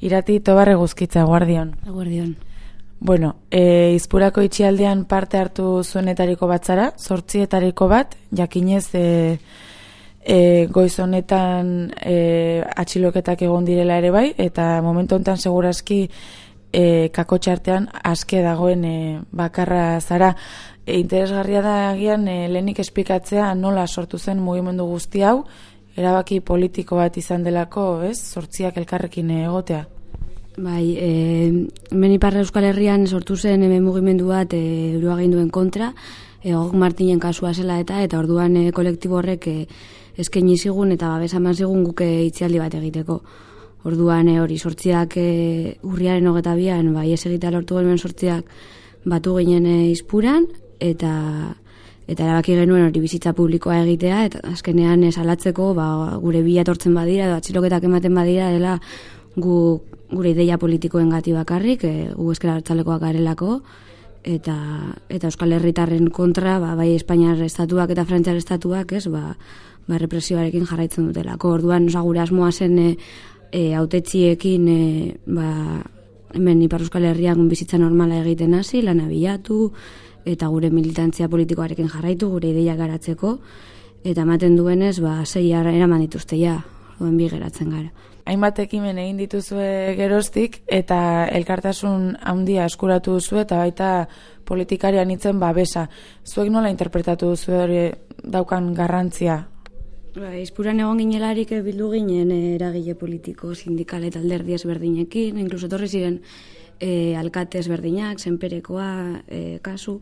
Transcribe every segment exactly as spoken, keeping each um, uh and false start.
Irati Tobarre Guzkitza, guardion. Guardion. Bueno, e, Izpurako itxialdean parte hartu zuenetariko bat zara, zortzietariko bat, jakinez e, e, goiz honetan e, atxiloketak egon direla ere bai, eta momentu honetan segurazki e, kakotxartean aske dagoen e, bakarra zara. E, interesgarria da agian e, lehenik esplikatzea nola sortu zen mugimendu guzti hau, erabaki politiko bat izan delako, ez? Zortziak elkarrekin egotea. Bai, e, hemen Ipar Euskal Herrian sortu zen hemen mugimendu bat e, euroaginduen kontra, e, Gog Martinen kasua zela eta eta orduan e, kolektibo horrek e, eskaini zigun eta babesa eman zigun guke itzialdi bat egiteko. Orduan e, hori sortziak e, urriaren hogeta bian, bai ez egitea lortu genuen sortziak batu ginen e, Izpuran, eta eta erabaki genuen hori bizitza publikoa egitea, eta azkenean esalatzeko ba, gure bila etortzen badira, edo atxiloketak ematen badira, dela gu, gure ideia politikoen gati bakarrik, e, gu ezker abertzalekoak garelako, eta, eta Euskal Herritarren kontra, ba, bai Espainiar estatuak eta Frantziar estatuak, ez, ba, ba represioarekin jarraitzen dutelako. Orduan, oza, gure asmoa zen e, e, autetxiekin, e, ba, hemen Ipar Euskal Herrian bizitza normala egiten hasi, lana bilatu, eta gure militantzia politikoarekin jarraitu, gure ideia garatzeko, eta ematen duenez, ba, sei eraman dituzte ja, duen bi geratzen gara. Hainbat ekimen egin dituzue geroztik, eta elkartasun handia eskuratu duzu, eta baita politikarian itzen babesa. Zuek nola interpretatu duzu hori daukan garrantzia? Ba, Izpuran egon ginelarik bildu ginen eragile politiko, sindikal eta alderdi ezberdinekin, inkluso etorri ziren E, alkate ezberdinak, zenperekoa, e, kasu,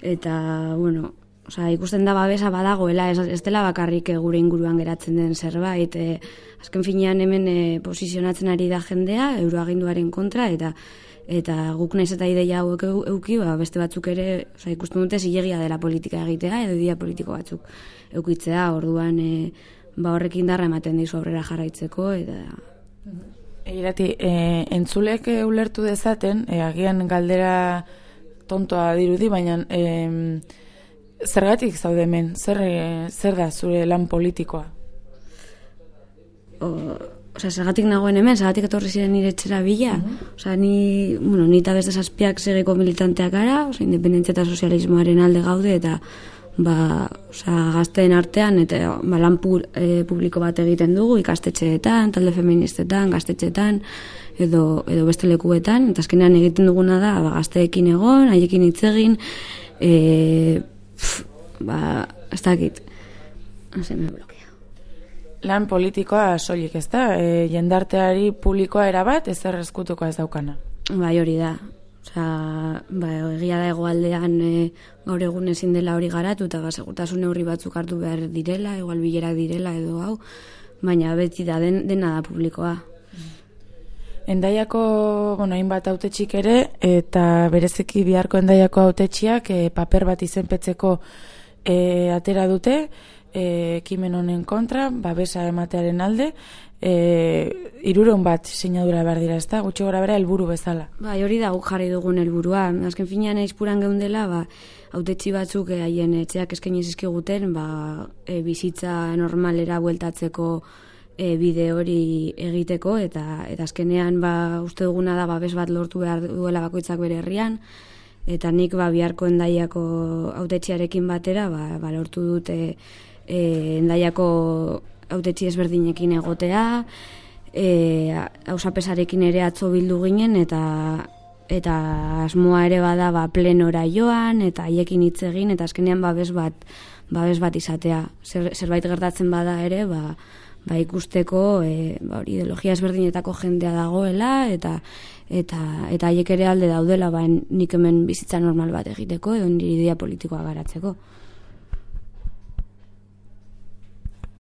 eta, bueno, oza, ikusten da babesa badagoela, ez, ez dela bakarrik gure inguruan geratzen den zerbait, e, azken finean hemen e, posizionatzen ari da jendea, euroaginduaren kontra, eta eta guk naiz eta ideia hauek euki, ba, beste batzuk ere, oza, ikusten dute zilegia dela politika egitea, edo ideia politiko batzuk eukitzea, orduan, e, ba, horrek indarra ematen dizu aurrera jarraitzeko, eta... Irati, e, entzulek e, ulertu dezaten, e, agian galdera tontoa dirudi, baina e, zergatik zaude hemen? Zer, e, zer da zure lan politikoa? O, Osa, zergatik nagoen hemen, zergatik etorri ziren nire etxera bila. Uh-huh. Osa, ni, bueno, ni eta beste zazpiak segeko militanteak gara, osa, independentzia eta sozialismoaren alde gaude, eta ba, osa, gazteen artean, eta ba, lan pu, e, publiko bat egiten dugu, ikastetxeetan, talde feministetan, gaztetxeetan, edo, edo beste lekuetan, eta azkenean egiten duguna da, ba, gazteekin egon, haiekin hitz egin, e, pf, ba, ez dakit, hase me blokea. Lan politikoa soilik, ez da? E, jendarteari publikoa erabat, ez errezkutuko ez daukana. Bai, hori da. Osa, ba, egia da hegoaldean e, gaur egun ezin dela hori garatu, eta ba, segurtasun neurri batzuk hartu behar direla, igual bilerak direla edo hau, baina beti da den, dena da publikoa. Endaiako, bueno, hainbat hautetxik ere, eta bereziki biharko Endaiako hautetxiak e, paper bat izenpetzeko e, atera dute, ekimen honen kontra, babesa ematearen alde, e, hiruron bat sinadura behar dira, ez da? Gutxi gora bera helburu bezala. Bai, hori da guk jarri dugun helburua. Azken finean Izpuran geundela, ba, hautetxi batzuk e, haien etxeak eskaini zizkiguten, ba, e, bizitza normalera bueltatzeko e, bide hori egiteko, eta, eta azkenean ba, uste duguna da babes bat lortu behar duela bakoitzak bere herrian, eta nik ba, biharko Endaiako hautetxiarekin batera ba, ba, lortu dute E, Endaiako hautetxi ezberdinekin egotea, e, ausapesarekin ere atzo bildu ginen, eta eta asmoa ere bada ba, plenora joan, eta haiekin hitz egin, eta azkenean babes bat, babes bat izatea. Zer, zerbait gertatzen bada ere, ba, ba ikusteko e, ba, ideologia ezberdinetako jendea dagoela, eta eta eta haiek ere alde daudela, ba, nik hemen bizitza normal bat egiteko, edo nire idea politikoa garatzeko.